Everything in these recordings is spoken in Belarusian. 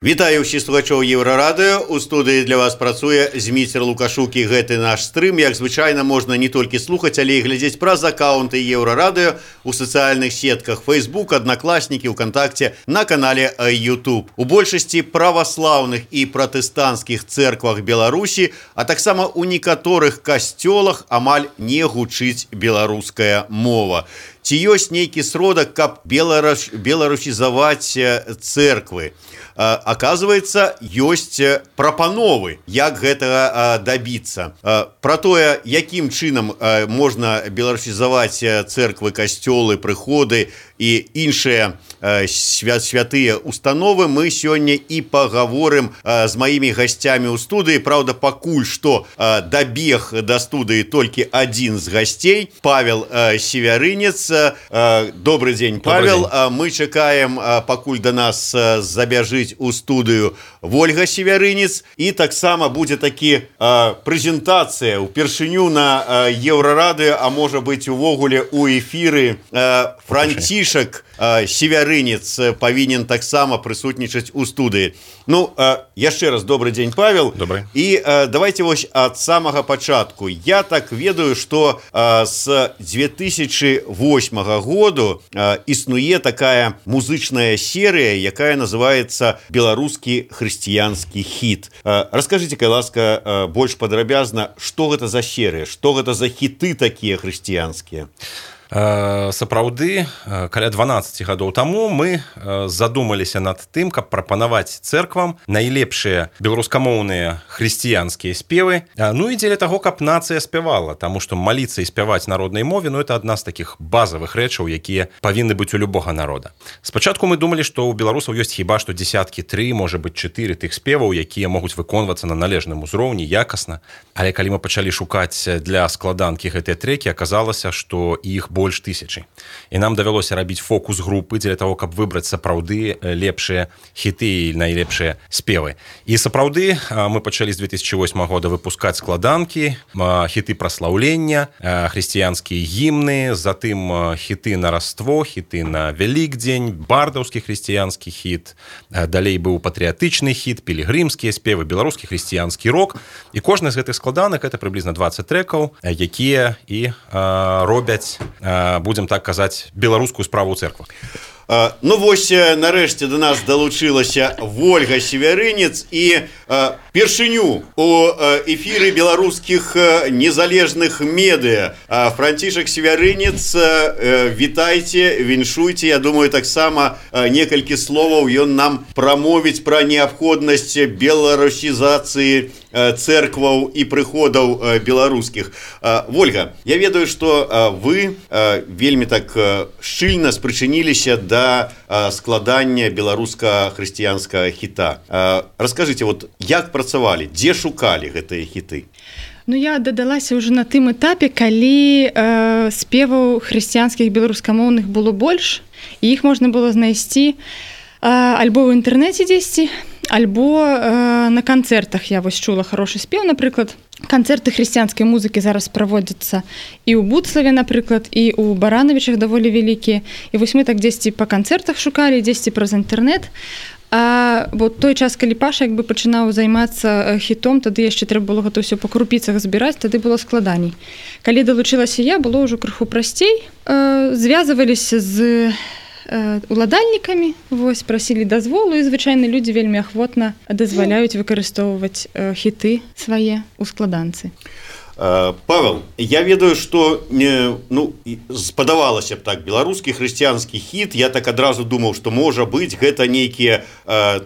Вітаю ўсіх слухачоў Еўрарадыё. У студыі для вас працуе Зміцер Лукашук, і гэты наш стрым, як звычайна, можна не толькі слухаць, але і глядзець праз акаунты Еўрарадыё у сацыяльных сетках Facebook, Аднакласнікі, ВКонтакте, на канале YouTube. У большасці праваслаўных і пратэстанцкіх цэрквах Беларусі, а таксама у некаторых касцёлах амаль не гучыць беларуская мова. Ці ёсць нейкі сродак, каб беларусізаваць цэрквы? Оказывается, ёсць прапановы, як гэтага дабіцца. Пра тое, якім чынам можна беларусізаваць цэрквы, касцёлы, прыходы і іншыя святыя установы, мы сёння і пагаворым з маімі гасцямі ў студыі. Праўда, пакуль што дабег да студыі толькі адзін з гасцей, Павел Севярынец. Добрый дзень, Павел. Мы чакаем, пакуль да нас забяжыць у студыю Вольга Севярынец, і таксама будзе такі прэзентацыя ўпершыню на Еўрарадыё, а можа быць увогуле у эфіры. Францішак Севярынец павінен таксама прысутнічаць у студыі. Ну, яшчэ раз добрый дзень, Павел. Добрый. І давайте вось ад самага пачатку. Я так ведаю, што з 2008 году існуе такая музычная серыя, якая называецца «Беларускі хрысціянскі хіт». Раскажыце, кай ласка, больш падрабязна, што гэта за серыя, што гэта за хіты такія хрысціянскія? Сапраўды, каля 12 гадоў таму мы задумаліся над тым, каб прапанаваць цэрквам найлепшыя беларускамоўныя хрысціянскія спевы, ну і дзеля таго, каб нацыя спявала, таму што маліцца і спяваць на роднай мове, ну это адна з такіх базавых рэчаў, якія павінны быць у любога народа. Спачатку мы думалі, што ў беларусаў ёсць хіба што дзесяткі 3, можа быць 4 тых спеваў, якія могуць выконвацца на належным узроўні, якасна, але калі мы пачалі шукаць для складанкі гэтыя трэкі, аказалася, што іх больш 1000. І нам давялося рабіць фокус-групы дзеля таго, каб выбраць сапраўды лепшыя хіты і найлепшыя спевы. І сапраўды мы пачалі з 2008 года выпускаць складанкі, хіты праслаўлення, хрысціянскія гімны, затым хіты на Раство, хіты на Вялікдзень, бардаўскі хрысціянскі хіт, далей быў патрыятычны хіт, пілігрымскія спевы, беларускі хрысціянскі рок. І кожны з гэтых складанак это прыблізна 20 трэкаў, якія і робяць, будзем так казаць, беларускую справу ў цэрквах. Ну вось, нарэшце да нас далучылася Вольга Севярынец, і першыню у эфіры беларускіх незалежных медыа. Францішак Севярынец, вітайце, віншуйце. Я думаю, таксама некалькі словаў ён нам прамовіць пра неабходнасць беларусізацыі цэркваў і прыходаў беларускіх. Вольга, я ведаю, што вы вельмі так шчыльна спрычыніліся да складання беларуска-хрысціянскага хіта. Раскажыце, вот як працавалі, дзе шукалі гэтыя хіты? Ну, я дадалася ўжо на тым этапе, калі спеваў хрысціянскіх беларускамоўных было больш, і іх можна было знайсці альбо ў інтэрнэце дзесьці, альбо на канцэртах. Я вось чула хорошы спеў, напрыклад. Канцэрты хрысціянскай музыкі зараз праводзяцца і ў Буцлаве, напрыклад, і ў Баранавічах даволі вялікія. І вось мы так дзесьці па канцэртах шукалі, дзесьці праз інтэрнэт. А вот той час, калі Паша як бы пачынаў займацца хітом, тады яшчэ трэба было гэта ўсё па крупіцах збіраць, тады было складаней. Калі далучылася я, было ўжо крыху прасцей. Звязваліся з уладальнікамі, вось, прасілі дазволу, і звычайна людзі вельмі ахвотна дазваляюць выкарыстоўваць хіты свае ў складанцы. Павел, я ведаю, што спадавалася б так, беларускі хрысціянскі хіт, я так адразу думаў, што можа быць гэта нейкія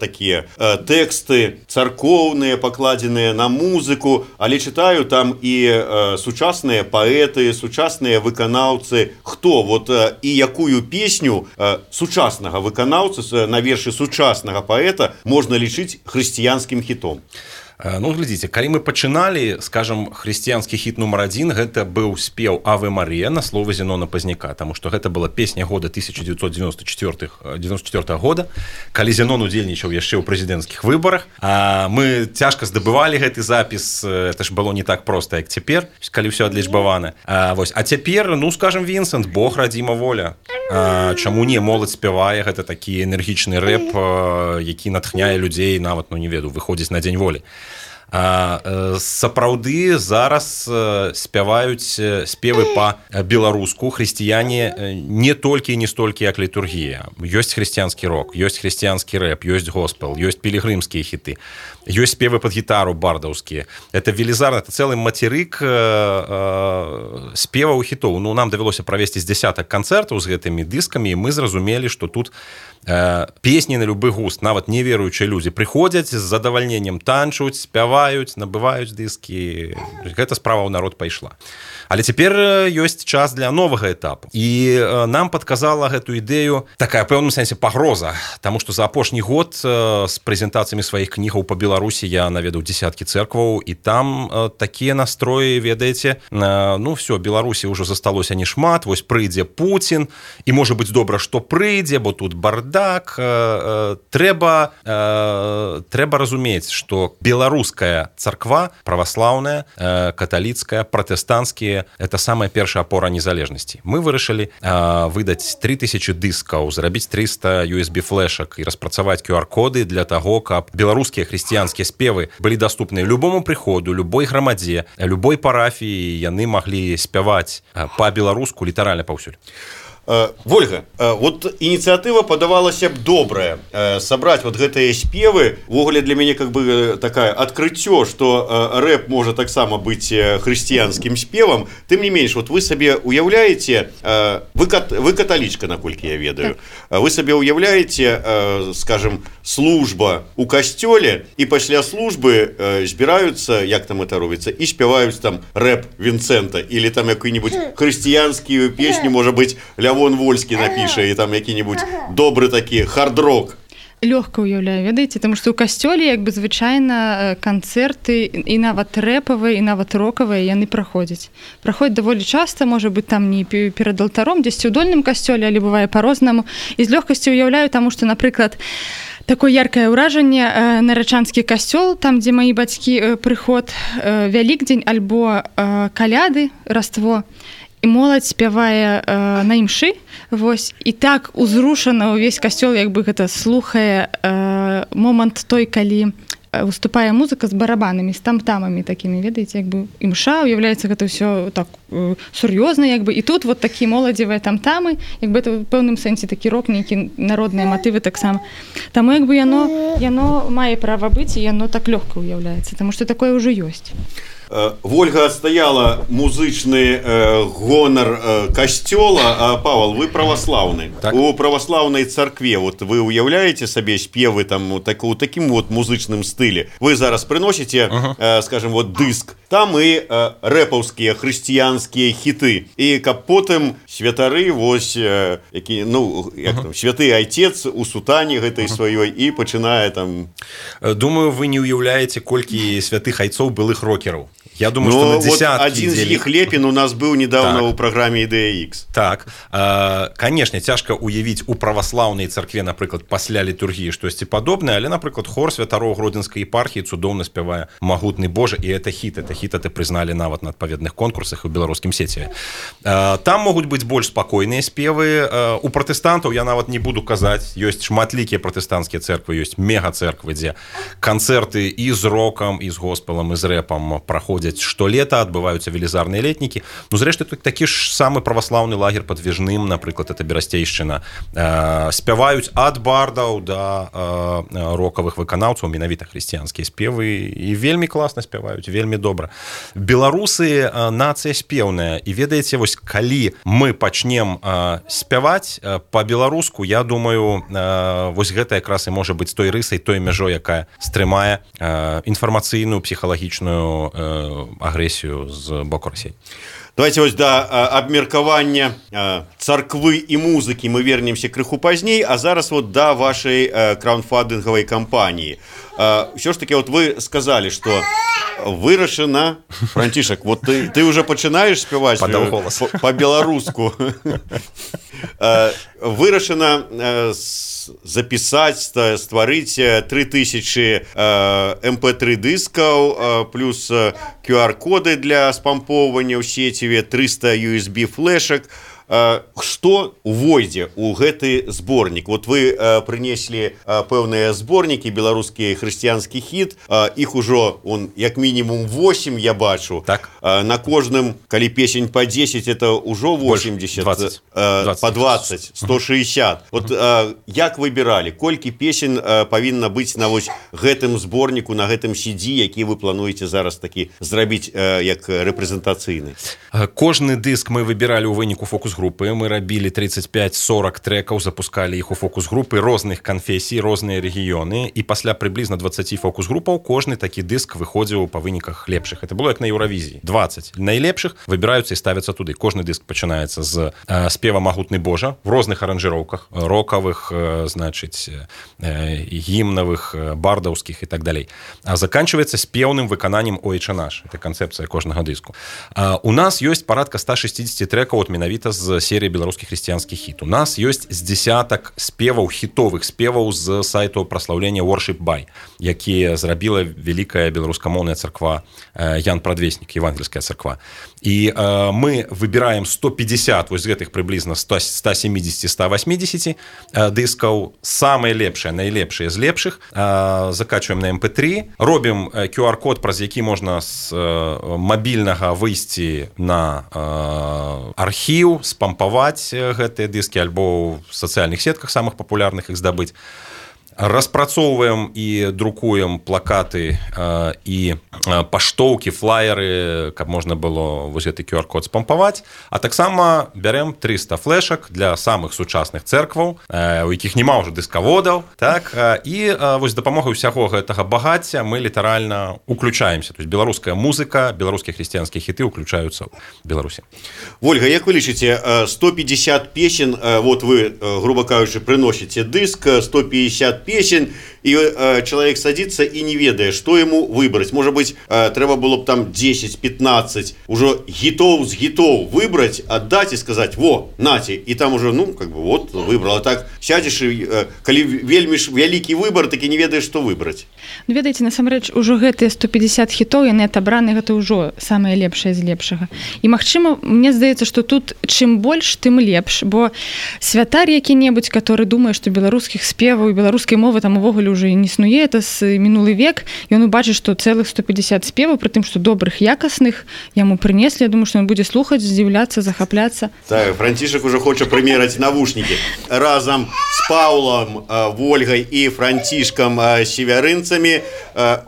такія тэксты царкоўныя, пакладзеныя на музыку, але чытаю там і сучасныя паэты, сучасныя выканаўцы. Хто вот і якую песню сучаснага выканаўцы на вершы сучаснага паэта можна лічыць хрысціянскім хітом? Ну, глядзіце, калі мы пачыналі, скажем, хрысціянскі хіт нумар 1, гэта быў спеў «Аве Мария» на словы Зенона Пазняка, таму што гэта была песня года 1994 года, калі Зенон удзельнічаў яшчэ ў прэзідэнцкіх выбарах. Мы цяжка здабывалі гэты запіс, это ж было не так проста, як цяпер, калі ўсё адлічбавана. А цяпер, ну, скажем, Вінсент, Бог, радзіма воля. Чаму не, моладзь спявае, гэта такі энергічны рэп, які натхняе людзей, нават, ну, не веду, выходзіць на дзень волі. Сапраўды зараз спяваюць спевы па-беларуску хрысціяне не толькі і не столькі як літургія. Ёсць хрысціянскі рок, ёсць хрысціянскі рэп, ёсць госпел, ёсць пілігрымскія хіты, ёсць спевы пад гітару бардаўскія. Это велізарна, это цэлы мацерык спеваў хітоў. Ну, нам давялося правесці з дзясятак канцэртаў з гэтымі дыскамі, і мы зразумелі, што тут песні на любы густ, нават неверуючыя людзі прыходзяць з задавальненнем, танчуць, спяваюць, набываюць дыскі. Гэта справа ў народ пайшла. Але цяпер ёсць час для новага этапу. І нам падказала гэту ідэю такая, пэўным сэнсе, пагроза, таму што за апошні год з прэзентацыямі сваіх кнігаў па Беларусі я наведаў дзесяткі цэркваў, і там такія настроі, ведаеце, ну все, Беларусі ўжо засталося не шмат, вось прыйдзе Пуцін, і можа быць добра, што прыйдзе, бо тут бардак. Трэба разумець, што беларуская царква, праваслаўная, каталіцкая, пратэстанцкія, это самая першая опора незалежнасці. Мы вырашылі выдаць 3000 дыскаў, зрабіць 300 USB-флешак і распрацаваць QR-коды для таго, каб беларускія хрысціянскія спевы былі даступныя любому прыходу, любой грамадзе, любой парафіі, яны маглі спяваць па-беларуску літаральна паўсюль. Вольга, вот инициатива подавалася б добрая, собрать вот гэтыя спевы. Ввогуле для мяне как бы такая открыццё, что рэп можа таксама быць хрысціянскім спевам. Тым не менш, вот вы сабе уяўляеце, вы каталічка, наколькі я ведаю, вы сабе уяўляеце, скажем, служба у касцёле, і пасля службы збіраюцца, як там это робіцца, і спяваюць там рэп Вінцэнта, или там якую-нибудь хрысціянскую песню, можа быць, Лявон Вольскі напіша, і там які-нибудь добры такі хард-рок. Лёгка уяўляю, ведаеце, таму што ў касцёле як бы звычайна канцэрты і нават рэпавыя, і нават рокавыя яны праходзяць даволі часта, можа быць там не перад алтаром, дзесьці ў дольным касцёле, але бывае па-рознаму, і з лёгкасцю уяўляю, таму што, напрыклад, такое яркае ўражанне, нарачанскі касцёл, там дзе маі бацькі, прыход, Вялікдзень альбо каляды, Раство, і моладзь спявае на імшы, вось, і так узрушана ўвесь касцёл, як бы гэта слухае момант той, калі выступае музыка з барабанамі, з там-тамамі такімі, ведаеце, як бы імша, уяўляецца гэта ўсё так сур'ёзна, як бы, і тут вот такі моладзевыя там-тамы, як бы это ў пэўным сэнсе такі рок, нейкі народныя матывы таксама. Таму як бы яно мае права быць, і яно так лёгка уяўляецца, таму што такое ўжо ёсць. Вольга адстаяла музычны гонар касцёла. Павал, вы праваслаўны. Так. У праваслаўнай царкве вот вы уяўляеце сабе спевы там у такім вот музычным стылі. Вы зараз прыносіце, скажем, вот дыск. Там і рэпаўскія хрысціянскія хіты. І каб потым святары, вось, які, ну, як там, святы айцец у сутане гэтай сваёй і пачынае там... Думаю, вы не уяўляеце, колькі святых айцоў былых рокераў. Я думаю, что на десятки. Вот один из них, Лепин, у нас был недавно так. У программе «Идея X». Так, конечно, цяжка уявіць у праваслаўнай царкве, напрыклад, пасля літургіі штосьці падобнае, але, напрыклад, хор святароў Гродзенскай епархіі цудоўна спявае «Магутны Божа», і это хіт прызналі нават на адпаведных конкурсах у беларускім сеціве. Там могуць быць больш спакойныя спевы. У пратэстантаў, я нават не буду казаць, ёсць шматлікія пратэстанцкія цэрквы, ёсць мега-цэрквы, дзе канцэрты і з рокам, і з госпелам, і з рэпам праходзяць штолета, адбываюцца велізарныя летнікі. Ну, зрэшты, такі ж самы праваслаўны лагер пад Вежным, напрыклад, это Берасцейшчына. Спяваюць ад бардаў да рокавых выканаўцаў, менавіта хрысціянскія спевы, і вельмі класна спяваюць, вельмі добра. Беларусы нацыя спеўная, і ведаеце, вось калі мы пачнем спяваць па-беларуску, я думаю, вось гэта якраз і можа быць той рысай, той мяжой, якая стрымае інфармацыйную, псіхалагічную агрэсію з боку Расіі. Давайте вось да абмеркавання царквы і музыкі мы вернемся крыху пазней, а зараз вот да вашай краундфандынгавай кампаніі. Ўсё ж таки вот вы сказали, что вырашана, Францішак, вот ты уже пачынаеш спяваць по-беларуску. Вырашана запісаць, стварыць 3000 MP3 дыскаў плюс QR-коды для спампоўвання ў сеціве, 300 USB флешак. Што увойдзе ў гэты зборнік? Вот вы прынеслі пэўныя зборнікі, беларускі хрысціянскі хіт, іх ужо як мінімум 8 я бачу. Так. На кожным, калі песень по 10, это ўжо 80, 20. По 20, 160. Вот як выбіралі, колькі песень павінна быць на вось гэтым зборніку, на гэтым CD, які вы плануеце зараз такі зрабіць як рэпрэзентацыйны? Кожны дыск мы выбіралі ў выніку фокус-групы. Мы рабілі 35-40 трэкаў, запускалі іх у фокус-групы розных канфесій, розныя рэгіёны, і пасля прыблізна 20 фокус-групаў кожны такі дыск выходзіў па выніках лепшых. Это было як на Еўравізіі. 20 найлепшых выбіраюцца і ставяцца туды. Кожны дыск пачынаецца з спева «Магутны Божа» в розных аранжыроўках, рокавых, значыць, гімнавых, бардаўскіх і так далей. А заканчваецца спеўным выкананнем «Ойче наш». Это канцэпцыя кожнага дыску. У нас ёсць парадка 160 трэкаў от менавіта з серыі беларускі хрысціянскі хіт. У нас ёсць з десятак спеваў, хітовых спеваў з сайту праслаўлення Worship By, які зрабіла вялікая беларускамоўная царква Ян Прадвеснік, евангельская царква. І мы выбіраем 150 вось гэтых прыблізна 170-180 дыскаў, самыя лепшыя, найлепшыя з лепшых, закачваем на MP3, робім QR-код, праз які можна з мабільнага выйсці на архіў, спампаваць гэтыя дыскі альбо ў сацыяльных сетках самых папулярных іх здабыць. Распрацоўваем і друкуем плакаты і паштоўкі, флаеры, каб можна было вось гэты QR-код спампаваць. А таксама бярем 300 флешак для самых сучасных цэркваў, у якіх няма ўжо дыскаводаў, так? І вось дапамогай усяго гэтага багацця мы літаральна уключаемся. То есть беларуская музыка, беларускія хрысціянскія хіты уключаюцца ў Беларусі. Ольга, як вы лічыце, 150 песен, вот вы, грубо кажучы, прыносіце дыск, 150 песен, и человек садится и не ведае, что ему выбрать. Может быть, треба было бы там 10-15 уже гитов с гитов выбрать, отдать и сказать: во, нате, и там уже, ну, как бы, вот, выбрал. А так сядешь, и коли вельмі вялікі выбор, так и не ведаешь, что выбрать. Ну, ведаеце, насамрэч, ужо гэтыя 150 хітоў, яны отобраны, гэта ўжо самае лепшае з лепшага. І, магчыма, мне здаецца, што тут чым больш, тым лепш, бо святар які-небудзь, который думае, што беларускіх спеваў і беларускай мовы там увогуле уже не існуе, это з мінулы век, і ён убачыць, што цэлых 150 спеваў, пры тым, што добрых, якасных яму прынеслі. Я думаю, што ён будзе слухаць, здзіўляцца, захапляцца. Так, Францішак уже хоча прымераць навушнікі. Разам з Паўлам, Вольгай і Францішкам Севярынцамі.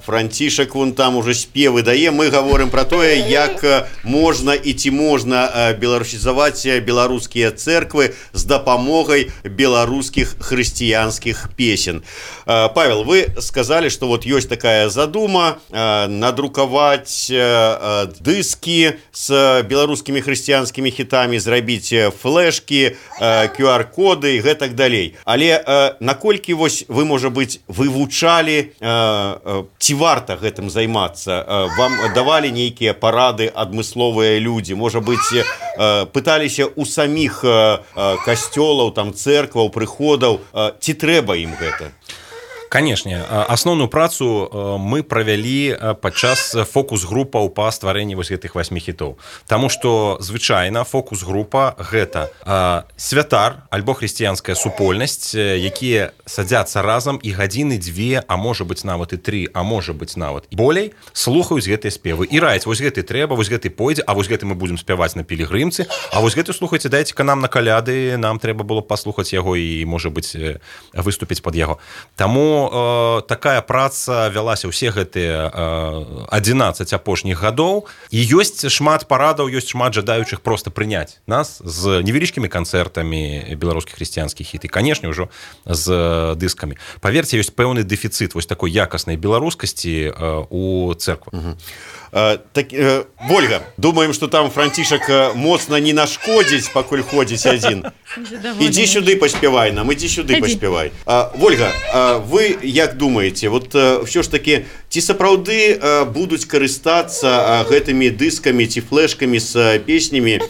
Францішак вон там уже спевы дае. Мы гаворым пра тое, як можна і ці можна беларусізаваць беларускія цэрквы з дапамогай беларускіх хрысціянскіх песен. Павел, вы сказали, что вот есть такая задума надруковать диски с белорусскими христианскими хитами, зрабіць флешки, QR-коды и гэтак далей. Але наколькі вось вы, можа быць, вывучалі, ці варта гэтым займацца? Вам давалі нейкія парады адмысловыя людзі? Можа быць, пыталіся у саміх касцёлаў, там, цэркваў, прыходаў, ці трэба ім гэта? Канешне, асноўную працу мы правялі падчас фокус-групаў па стварэнні вось гэтых 8 хітоў. Таму што звычайна фокус-група гэта святар альбо хрысціянская супольнасць, якія садзяцца разам і гадзіны 2, а можа быць нават і 3, а можа быць нават і болей, слухаюць гэтыя спевы і раяць: вось гэты трэба, вось гэты пойдзе, а вось гэты мы будзем спяваць на пілігрымцы, а вось гэты, слухайце, дайце-ка нам на каляды, нам трэба было паслухаць яго і, можа быць, выступіць пад яго. Таму такая праца вялася ўсе гэтыя 11 апошніх гадоў, і ёсць шмат парадаў, ёсць шмат жадаючых проста прыняць нас з невялічкімі канцэртамі беларускіх хрысціянскіх хіт і, канешне, ўжо з дыскамі. Паверце, ёсць пэўны дэфіцыт вось такой якаснай беларускасці у церквах. Вольга, думаем, что там Францішак моцна не нашкодзіць, пакуль ходзіць адзін. Ідзі сюды паспявай нам, ідзі сюды паспявай. Вольга, вы як думаеце, вот все ж таки, ці сапраўды будуць карыстацца гэтымі дыскамі ці флешкамі з песнямі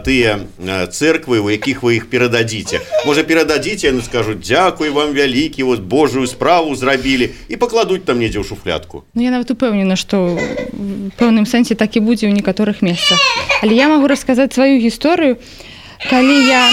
тыя церквы, у якіх вы іх перададзіце? Можа, перададзіце, яны скажуць: дзякуй вам вялікі, вот Божую справу зрабілі, і пакладуць там недзе ў шуфлядку. Ну, я нават упэўнена, што в пэўным сэнсе так і будзе ў некаторых месцах. Але я магу расказаць сваю гісторыю. Калі я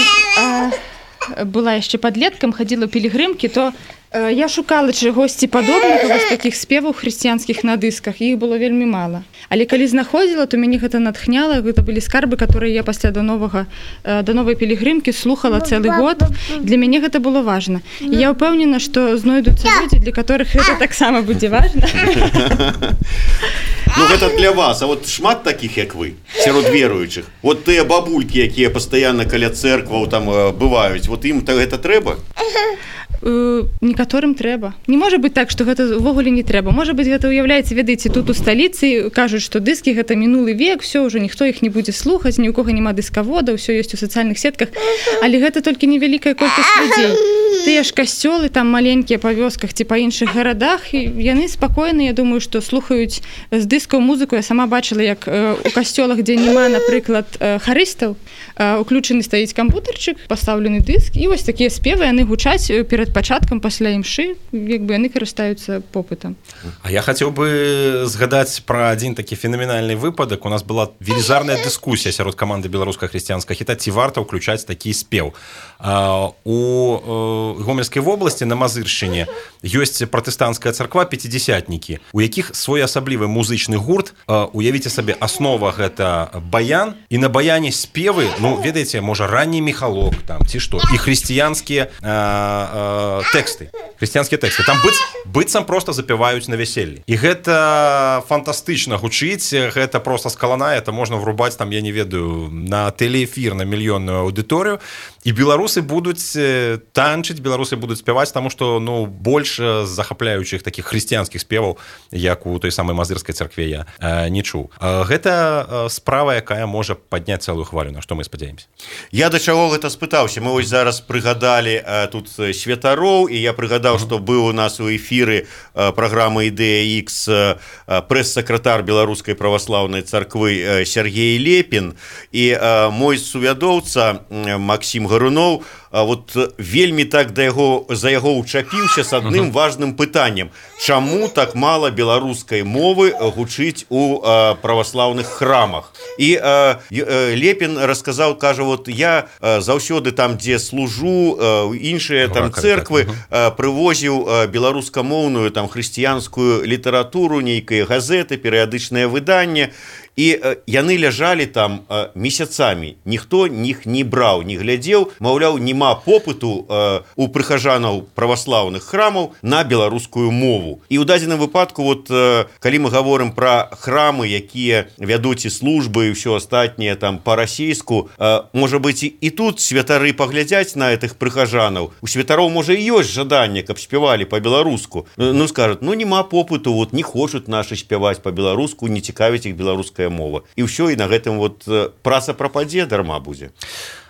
была яшчэ падлеткам, хадзіла ў пілігрымкі, то я шукала чагосьці падобнага вось такіх спеваў хрысціянскіх на дысках, іх было вельмі мала. Але калі знаходзіла, то мяне гэта натхняла, гэта былі скарбы, которые я пасля да новай пілігрымкі слухала цэлы год. Для мяне гэта было важна. І я ўпэўнена, што знойдуцца людзі, для которых гэта таксама будзе важна. Ну, гэта для вас, а вот шмат такіх, як вы, сярод веруючых. Вот тыя бабулькі, якія пастаянна каля церкваў там бываюць, вот ім гэта трэба? Некаторым трэба. Не можа быць так, што гэта ўвогуле не трэба. Можа быць, гэта уяўляецца, ведаеце, тут у сталіцы кажуць, што дыскі гэта мінулы век, все, ўжо ніхто іх не будзе слухаць, ні ў кога няма дыскавода, ўсё ёсць у сацыяльных сетках, але гэта толькі невялікая колькасць людзей. Тыя ж касцёлы там маленькія па вёсках ці па іншых гарадах, і яны спакойна, я думаю, што слухаюць з дыскаў музыку. Я сама бачыла, як у касцёлах, дзе няма, напрыклад, харыстаў, уключаны стаіць кампутарчык, пастаўлены дыск, і вось такія спевы, яны гучаць перад пачаткам пасля імшы, як бы яны карыстаюцца попытам. А я хацеў бы згадаць пра адзін такі фенаменальны выпадак. У нас была велізарная дыскусія сярод каманды беларускага хрысціянскага хіта, ці варта ўключаць такі спеў. У Гомельскай вобласці на Мазыршчыне ёсць пратэстанцкая царква пяцідзясятнікі, у якіх своеасаблівы музычны гурт. Уявіце сабе, аснова гэта баян, і на баяне спевы, ну, ведаеце, можа, ранні міхалок там, ці што, і хрысціянскія тэксты. Хрысціянскія тэксты. Там быццам проста запяваюць на вяселлі. І гэта фантастычна гучыць, гэта проста скалана, это можна врубаць там, я не ведаю, на тэлеэфір, на мільённую аўдыторыю. І беларусы будуць танчыць, беларусы будуць спяваць, таму што, ну, больш захапляючых такіх хрысціянскіх спеваў, як у той самай Мазырскай царкве, я не чуў. Гэта справа, якая можа падняць цэлую хвалю, на што мы спадзяемся. Я да чаго гэта спытаўся. Мы вось зараз прыгадалі тут святароў, і я прыгадаў, што быў у нас у эфіры праграмы «Ідэя Х» прэс-сакратар Беларускай праваслаўнай царквы Сергей Лепін, і мой сувядоўца Максім Гаруноў вот вельмі так за яго ўчапіўся з адным важным пытаннем: чаму так мала беларускай мовы гучыць у праваслаўных храмах? І Лепін расказаў, кажа, вот я заўсёды там, дзе служу, іншыя там церквы, прывозіў беларускамоўную там хрысціянскую літаратуру, нейкія газеты, перыядычнае выданне, і яны ляжалі там месяцамі, ніхто іх не браў, не глядзеў, маўляў, нема попыту у прыхажанаў праваслаўных храмаў на беларускую мову. І ў дадзеным выпадку, вот калі мы гаворым пра храмы, якія вядуць і службы і ўсё астатняе там па-расейску, можа быць, і тут святары паглядзяць на гэтых прыхажанаў. У святароў, можа, і ёсць жаданне, каб спявалі па-беларуску. Ну, скажуць, ну, нема попыту, вот не хочуць нашы спяваць па-беларуску, не цікавіць іх беларуская мова. І ўсё, і на гэтым вот праца прападзе, дарма будзе.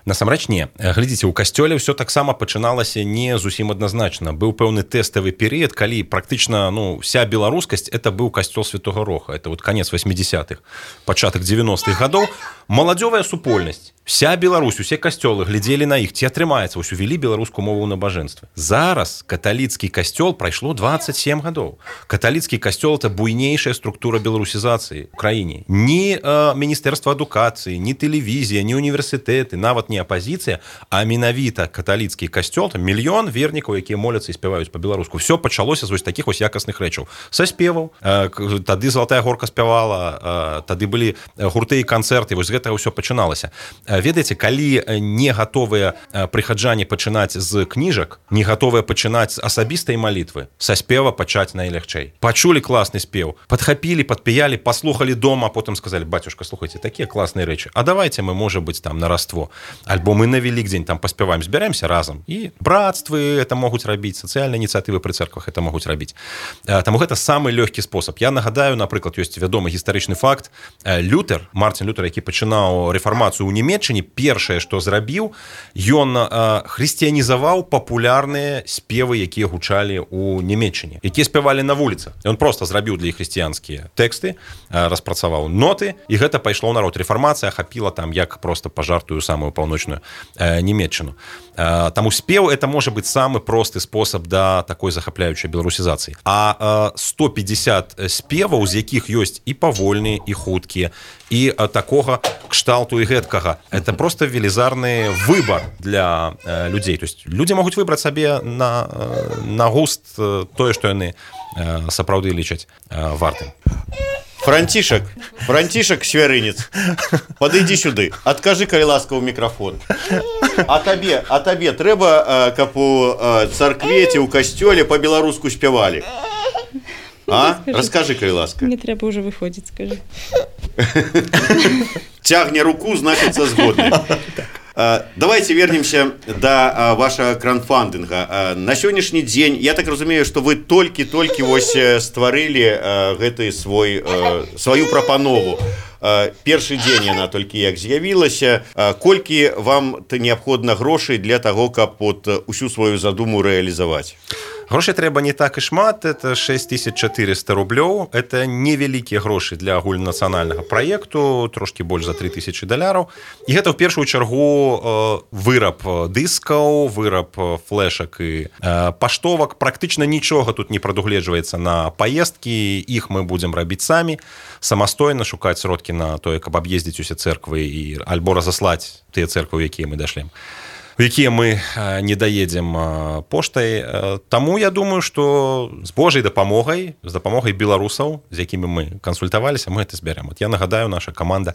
Насамрэч не. Глядзіце, у касцёле ўсё таксама пачыналася не зусім адназначна. Быў пэўны тэставы перыяд, калі практычна, ну, вся беларускасць это быў касцёл Святога Роха. Это вот канец 80-х, пачатак 90-х гадоў. Маладзёвая супольнасць. Вся Беларусь, усе касцёлы глядзелі на іх, ці атрымаецца, вось увялі беларускую мову ў набажэнстве. Зараз каталіцкі касцёл прайшло 27 гадоў. Каталіцкі касцёл это буйнейшая структура беларусізацыі ў краіне. Ні міністэрства адукацыі, ні тэлевізія, ні універсітэты, нават не не апазіцыя, а менавіта каталіцкі касцёл, там мільён вернікаў, якія моляцца і спяваюць па-беларуску. Все пачалося з вось такіх вось якасных рэчаў. Са спеваў, тады Залатая горка спявала, тады былі гурты і канцэрты, вось гэта ўсё пачыналася. Ведаеце, калі не гатовыя прыхаджане пачынаць з кніжак, не гатовыя пачынаць з асабістай малітвы, са спева пачаць найлягчэй. Пачулі класны спеў, падхапілі, падпяялі, паслухалі дома, а потым сказалі: бацюшка, слухайце, такія класныя рэчы, а давайте мы, можа быць, там на Раство, альбо мы на Велікдзень там паспяваем, збяремся разам. І брацтвы это могуць рабіць, сацыяльныя ініцыятывы пры цэрквах это могуць рабіць. Таму гэта самы лёгкі спосаб. Я нагадаю, напрыклад, ёсць вядомы гістарычны факт. Лютер, Мартин Лютер, які пачынаў рэфармацыю ў Нямецчыне, першае, што зрабіў, ён хрысціянізаваў папулярныя спевы, якія гучалі ў Нямецчыне, якія спявалі на вуліцах. Ён проста зрабіў для іх хрысціянскія тэксты, распрацаваў ноты, і гэта пайшло ў народ. Рэфармацыя ахапіла там як проста пажартую самую паўночную Нямецчыну. Таму спеў это можа быць самы просты спосаб да такой захапляючай беларусізацыі. А 150 спеваў, з якіх ёсць і павольныя, і хуткія, і такога кшталту і гэткага. Это просто велізарны выбар для людзей. То есть людзі могуць выбраць сабе на густ тое, што яны сапраўды лічаць вартым. Францішак Свярынец, падыдзі сюды, адкажы, калі ласка, ў мікрафон. А табе трэба, каб у царкве ці ў касцёле па-беларуску спявалі? Раскажы, калі ласка. Не трэба ўжо выходзіць, скажы. Цягне руку, значыцца згодны. Давайте вернемся до вашего краундфандинга. На сённяшні дзень, я так разумею, что вы толькі вось стварылі гэты сваю прапанову. Першы дзень яна толькі як з'явілася. Колькі вам неабходна грошай для таго, каб усю сваю задуму рэалізаваць? Грошай трэба не так і шмат, это 6400 рублёў, это невялікія грошы для агульнанацыянальнага праекту, трошкі больш за $3000. І гэта ў першую чаргу выраб дыскаў, выраб флешак і паштовак. Практычна нічога тут не прадугледжваецца на паездкі, іх мы будзем рабіць самі, самастойна шукаць сродкі на тое, каб аб'ездзіць усе цэрквы і альбо разаслаць тыя цэрквы, якія мы дашлем, у якія мы не даедзем поштай. Таму я думаю, што з Божай дапамогай, з дапамогай беларусаў, з якімі мы кансультаваліся, мы гэта збярем. Я нагадаю, наша каманда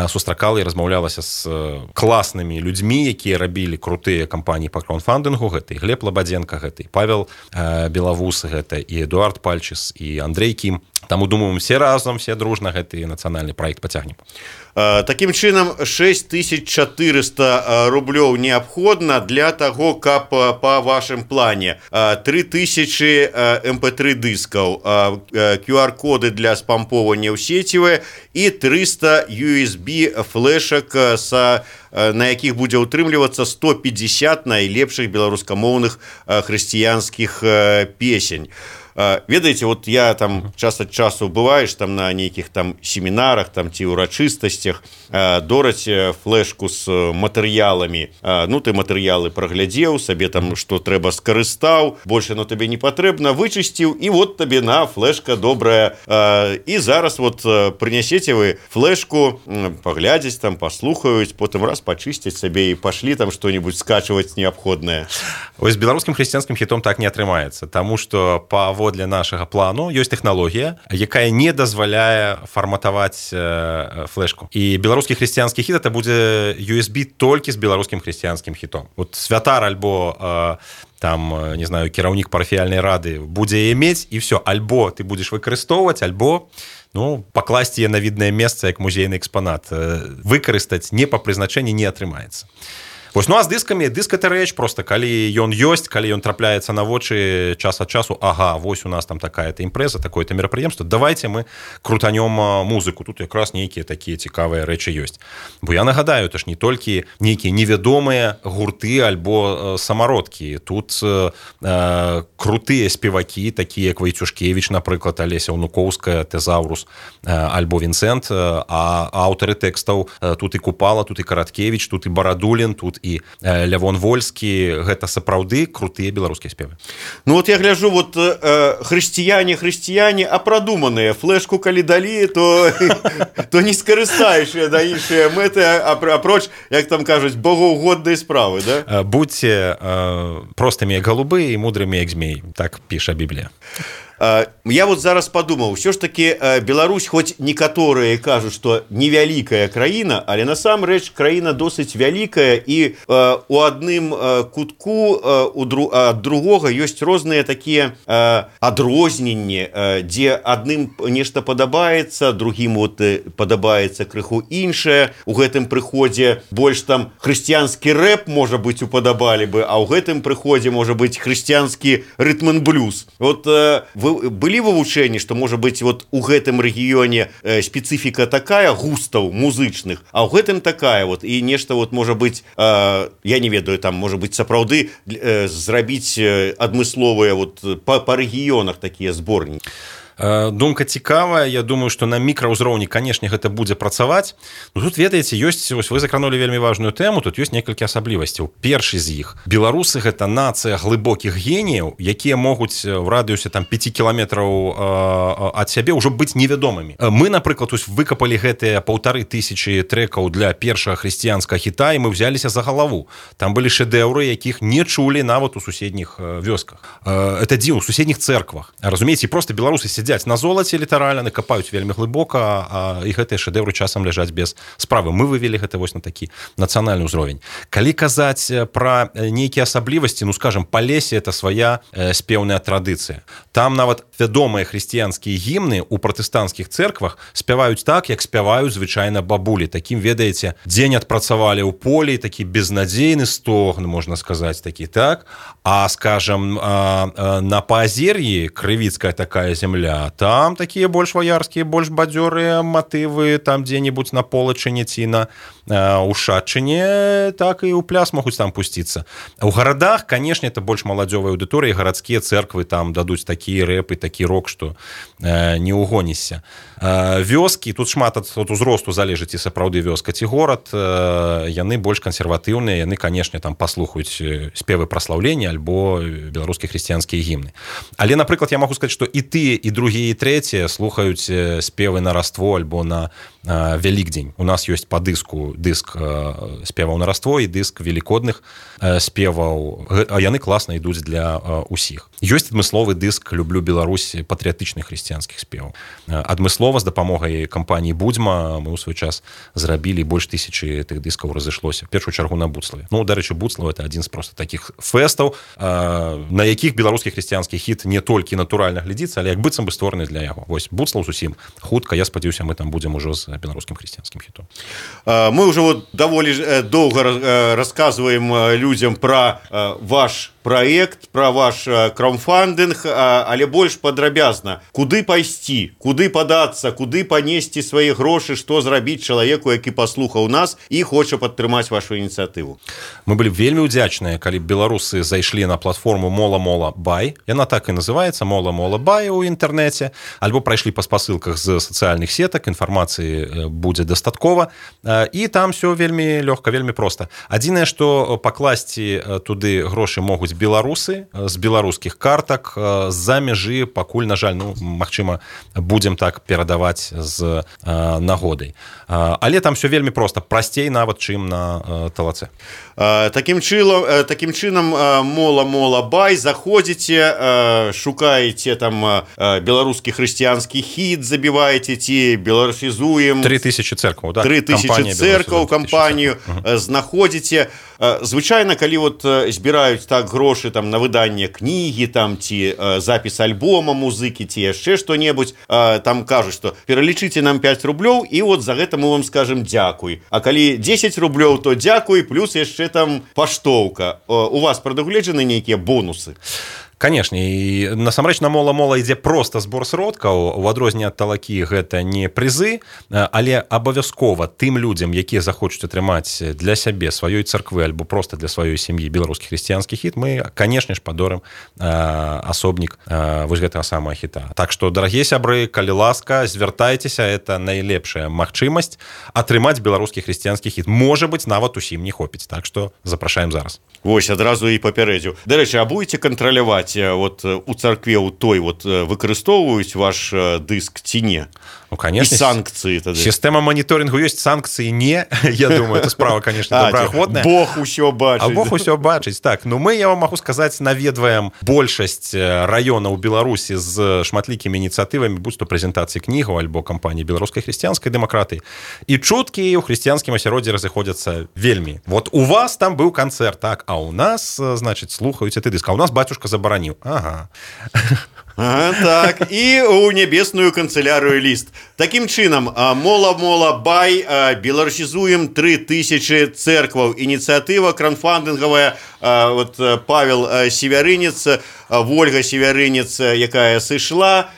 сустракала і размаўлялася з класнымі людзьмі, якія рабілі крутыя кампаніі па краундфандынгу. Гэта і Глеб Лабадзенка, гэта і Павел Белавус, гэта і Эдуард Пальчыс, і Андрей Кім. Таму, думаю, все разом, все дружна гэты нацыянальны праект пацягнем. Такім чынам, 6400 рублёў неабходна для таго, каб па вашым плане 3000 MP3 дыскаў, QR-коды для спамповання ў сеціве і 300 USB флешак, на якіх будзе ўтрымлівацца 150 найлепшых беларускамоўных хрысціянскіх песень. Ведаеце, вот я там час ад часу бываеш там на нейкіх там семінарах там ці ўрачыстасцях, дораць флешку з матэрыяламі. Ну, ты матэрыялы праглядзеў, сабе там што трэба скарыстаў, больше на табе не патрэбна, вычысціў, і вот табе на флешка добрая. І зараз вот прынясеце вы флешку, паглядзець там, паслухаюць, потым раз пачысціць сабе і пашлі там што-небудзь скачваць неабходнае. Ось беларускім хрысціянскім хітом так не атрымаецца, таму што паводле нашага плану ёсць тэхналогія, якая не дазваляе фарматаваць флешку. І беларускі хрысціянскі хіт это будзе USB толькі з беларускім хрысціянскім хітом. Вот святар альбо там, не знаю, кіраўнік парафіяльнай рады будзе мець, і все, альбо ты будзеш выкарыстоўваць, альбо пакласці на віднае месца як музейны экспанат. Выкарыстаць не па прызначэнні не атрымаецца. Вось, ну а з дыскамі, дыск это рэч, просто калі ён ёсць, калі ён трапляецца на вочы час ад часу, ага, вось у нас там такая-то імпрэза, такое-то мерапрыемства, давайте мы крутанём музыку, тут якраз нейкія такія цікавыя рэчы ёсць. Бо я нагадаю, это ж не толькі нейкія невядомыя гурты альбо самародкі, тут крутыя спевакі, такія як Вайцюшкевіч, напрыклад, Алеся Унукоўская, Тэзаўрус, альбо Вінцэнт, а аўтары тэкстаў тут і Купала, тут і Караткевіч, тут і Барадулін, тут і Лявон Вольскі — гэта сапраўды крутыя беларускія спевы. Ну вот я гляжу, вот хрысціяне, а прадуманыя. Флешку калі далі, то не скарыстаешся да іншыя мэты, апроч, як там кажуць, богоугодныя справы, да? Будьце простымі як голубы і мудрымі як змей, так піша Біблія. Я вот зараз подумал, все ж таки Беларусь, хоть некоторые кажут, что невяликая краіна, але насамрэч краіна досыць вялікая, і у адным кутку ад другога ёсць розныя такія адрозненні, дзе адным нешта падабаецца, другім вот падабаецца крыху іншае. У гэтым прыходзе больш там хрысціянскі рэп, можа быць, упадабалі бы, а ў гэтым прыходзе можа быць хрысціянскі рытм-н-блюз. Вот былі вывучэнні, што можа быць вот у гэтым рэгіёне спецыфіка такая густаў музычных, а ў гэтым такая вот, і нешта вот можа быць, я не ведаю, там можа быць сапраўды зрабіць адмысловыя вот па рэгіёнах такія зборнікі. Думка цікавая. Я думаю, што на мікраўзроўні, канешне, гэта будзе працаваць. Ну, тут, ведаеце, ёсць, вы закранулі вельмі важную тэму, тут ёсць некалькі асаблівасцяў. Першы з іх. Беларусы — гэта нацыя глыбокіх геніяў, якія могуць в радыусе там 5 кіламетраў ад сябе ўжо быць невядомымі. Мы, напрыклад, выкапалі гэтыя 1500 трэкаў для першага хрысціянскага хіта, і мы взяліся за галаву. Там былі шэдэўры, якіх не чулі нават у суседніх вёсках. Это дзіўна, у суседніх цэрквах. Разумееце, проста беларусы сядзяць на золаце літаральна, накапаюць вельмі глыбока, і гэтыя шэдэўры часам ляжаць без справы. Мы вывели гэта вось на такі нацыянальны ўзровень. Калі казаць пра нейкія асаблівасці, ну, скажем, Палесе — это свая спеўная традыцыя. Там нават вядомыя хрысціянскія гімны ў пратэстанцкіх цэрквах спяваюць так, як спяваюць звычайна бабулі. Такім, ведаеце, дзень адпрацавалі ў полі, такі безнадзейны стогн, можна сказаць, такі, так? А, скажем, на Паазер'і, крывіцкая такая земля, там такія больш ваярскія, больш бадзёрыя матывы, там дзе-небудзь на Полачыне ці на Ушачыне, так і ў пляс могуць там пусціцца. У гарадах, канешне, это больш маладзёвая аўдыторыя, гарадскія цэрквы там дадуць такі рэп і такі рок, што не угонішся. Вёскі, тут шмат ад узросту залежыць, і сапраўды вёска ці горад, яны больш кансерватыўныя, яны, канешне, там паслухаюць спевы праслаўлення альбо беларускія хрысціянскія гімны. Але, напрыклад, я магу сказаць, што і тыя, і другія, і трэція слухаюць спевы на Раство альбо на Вялікдзень. У нас ёсць па дыску дыск спеваў на Раство і дыск велікодных спеваў, а яны класна ідуць для усіх. Ёсць адмысловы дыск «Люблю Беларусь» патрыятычных хрысціянскіх спеваў. Адмыслова з дапамогай кампаніі «Будзьма» мы ў свой час зрабілі больш 1000 тых дыскаў разышлося. В першую чаргу на Буцлаве. Ну, дарэчы, Буцлаў — это адзін з проста такіх фэстаў, на якіх беларускі хрысціянскі хіт не толькі натуральна глядзіцца, але як быццам бы створаны для яго. Вось Буцлаў зусім хутка, я спадзяюся, мы там будзем ужо з беларускім хрысціянскім хітом. Мы уже вот даволі доўга рассказываем людям про ваш проект, про ваш краудфандинг, але больш падрабязна. Куды пайсці, куды падацца, куды панесці свае грошы, што зрабіць чалавеку, які паслухаў нас і хоча падтрымаць вашу ініцыятыву? Мы былі вельмі ўдзячныя, калі беларусы зайшлі на платформу Мола Бай. Яна так і называецца, Мола Бай у інтэрнэце, альбо прайшлі па спасылках з сацыяльных сетак, інфармацыі будзе дастаткова, і там все вельмі лёгка, вельмі проста. Адзінае, што пакласці туды грошы могуць беларусы з беларускіх картак, з-за мяжы пакуль, на жаль, ну, магчыма, будзем так перадаваць з нагодай. Але там все вельмі проста, прасцей нават, чым на талаце. Такім чынам Мола Бай, заходзіце, шукаеце там беларускі хрысціянскі хіт, забіваеце, ці беларусізуем 3000 церкваў, да? 3000 церкваў, кампанію знаходзіце. Звычайна, калі вот збіраюць так грошы там на выданне кнігі, там ці запіс альбома музыкі, ці яшчэ што-небудзь, там кажуць, што пералічыце нам 5 рублёў, і вот за гэта мы вам скажем дзякуй. А калі 10 рублёў, то дзякуй, плюс яшчэ там паштоўка. У вас прадугледжаны нейкія бонусы? Канешне, і насамрэч на мола-мола ідзе проста збор сродкаў, у адрозненне ад талакі гэта не прызы, але абавязкова тым людзям, якія захочуць атрымаць для сябе, сваёй царквы альбо проста для сваёй сям'і беларускі хрысціянскі хіт, мы, канешне ж, падорым асобнік вось гэтага самага хіта. Так што, дарагія сябры, калі ласка, звяртайцеся, это найлепшая магчымасць атрымаць беларускі хрысціянскі хіт. Можа быць, нават усім не хопіць, так што запрашаем зараз. Вось, адразу і папярэдзіў. Дарэчы, а будете кантраляваць вот у царкве у той вот выкарыстоўваюць ваш дыск ці не? Ну, конечно. І санкцыі тады. Сістэма маніторынгу ёсць, санкцыі не. Я думаю, это справа, конечно, добраахвотная. Бог усё бачыць. А Бог усё бачыць, так. Ну, мы, я вам магу сказаць, наведваем большасць раёнаў Беларусі з шматлікімі ініцыятывамі, будь то прэзентацыі кнігаў альбо кампаніі беларускай хрысціянскай дэмакратыі. І чуткі ў хрысціянскім асяроддзі разыходзяцца вельмі. Вот у вас там быў канцэрт, так, а у нас, значыць, слухаюць гэты дыск, а у нас бацюшка забараніў. Ага. Так, і ў нябесную канцылярыю ліст. Такім чынам, мола-мола бай, беларусізуем 3000 цэркваў. Ініцыятыва кранфандынгавая, вот Павел Севярынец, Вольга Севярынец, якая сышла.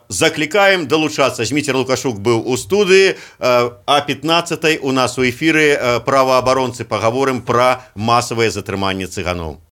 Заклікаем далучацца. Зміцер Лукашук быў у студыі, а 15-й у нас у эфіры праваабаронцы пагаворым пра масавае затрыманне цыганоў.